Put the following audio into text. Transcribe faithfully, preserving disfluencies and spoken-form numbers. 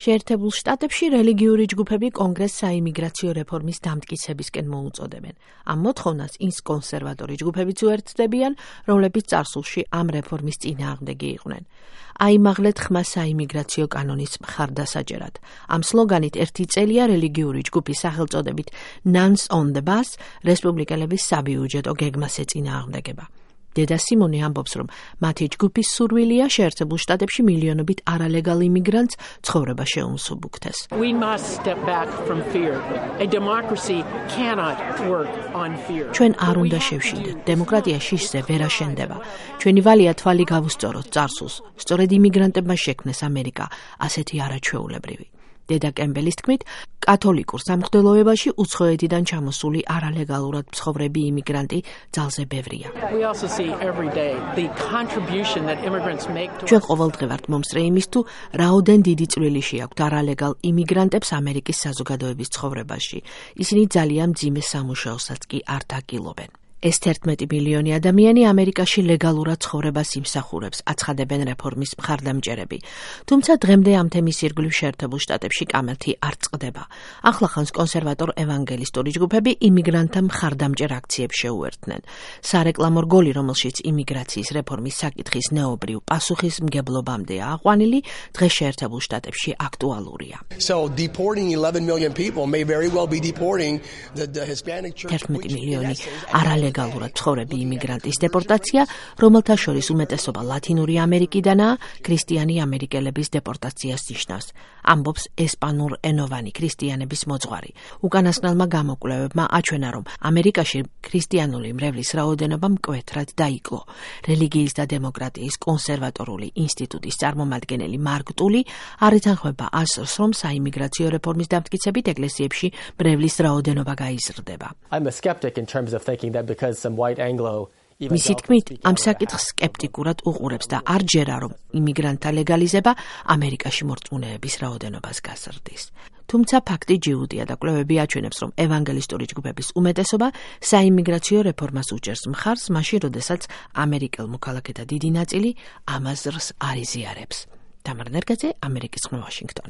შეერთებულ შტატებში რელიგიური ჯგუფები კონგრესს საიმიგრაციო რეფორმის დამტკიცებისკენ მოუწოდებენ. ამ მოთხოვნას ის კონსერვატორი ჯგუფებიც უერთდებიან, რომლებიც წარსულში ამ რეფორმის წინააღმდეგი იყვნენ. აიმაღლეთ ხმა საიმიგრაციო კანონის მხარდასაჭერად. ამ სლოგანით ერთი წელია რელიგიური ჯგუფის სახელწოდებით Nuns on the Bus რესპუბლიკელების საბიუჯეტო გეგმას ეწინააღმდეგება. დედა სიმონი ამბობს, რომ მათი ჯგუფის სურვილია შეერთებულ შტატებში მილიონობით არალეგალ იმიგრანტს ცხოვრება შეუმსუბუქთეს. We must step back from fear. A democracy cannot work on fear. ჩვენ არ უნდა შევშინდეთ. დემოკრატია შიშზე ვერ აშენდება. ჩვენი ვალია თვალი გავუსწოროთ წარსულს. სწორედ იმიგრანტებმა შექმნეს ამერიკა, ასეთი არაჩვეულებრივი. დედა კემბელის თქმით, კათოლიკურ სამღვდელოებაში უცხოეთიდან ჩამოსული არალეგალურად მცხოვრები იმიგრანტი ძალზე ბევრია. ჩვენ ყოველდღე ვართ მომსწრე იმის თუ რაოდენ დიდი წვლილი შეაქვთ არალეგალ იმიგრანტებს ამერიკის საზოგადოების ცხოვრებაში. ისინი ძალიან მძიმე სამუშაოსაც კი არ დაკილობენ. ეს თერთმეტი მილიონი ადამიანი ამერიკაში ლეგალურად ცხოვრებას იმსახურებს, აცხადებენ რეფორმის მხარდამჭერები. თუმცა დღემდე ამ თემის ირგვლივ შეერთებულ შტატებში კამათი არ წყდება. ახლახანს კონსერვატორ ევანგელისტური ჯგუფები იმიგრანტთა მხარდამჭერ აქციებს შეუერთდნენ. სარეკლამო რგოლი, რომელშიც იმიგრაციის რეფორმის საკითხის ნეობრივ პასუხისმგებლობამდეა აყვანილი, დღეს შეერთებულ შტატებში აქტუალურია. So deporting eleven million people may very well be deporting the, the Hispanic church. თერთმეტი მილიონი არალეგალ ლეგალურად მცხოვრები იმიგრანტის დეპორტაცია, რომელთა შორის უმეტესობა ლათინური ამერიკიდანაა, ქრისტიანი ამერიკელების დეპორტაციას ნიშნავს, ამბობს ესპანურ ენოვანი ქრისტიანების მოძღვარი. უკანასკნელმა გამოკვლევებმა აჩვენა, რომ ამერიკაში ქრისტიანული მრევლის რაოდენობა მკვეთრად დაიკლო. რელიგიის და დემოკრატიის კონსერვატორული ინსტიტუტის წარმომადგენელი მარკ ტული არ ეთანხმება აზრს, რომ საიმიგრაციო რეფორმის დამტკიცებით ეკლესიებში მრევლის რაოდენობა გაიზრდება. I'm a skeptic in terms of thinking that because some white Anglo მისი თქმით, ამ საკითხს სკეპტიკურად უყურებს და არ ჯერა, რომ იმიგრანტთა ლეგალიზება ამერიკაში მორწმუნეების რაოდენობას გაზრდის. თუმცა ფაქტი ჯიუტია და კვლევები აჩვენებს, რომ ევანგელისტური ჯგუფების უმეტესობა საიმიგრაციო რეფორმას უჭერს მხარს, მაშინ, როდესაც ამერიკელ მოქალაქეთა დიდი ნაწილი ამ აზრს არ იზიარებს. თამარ ნერგაძე, ამერიკის ხმა, ვაშინგტონი.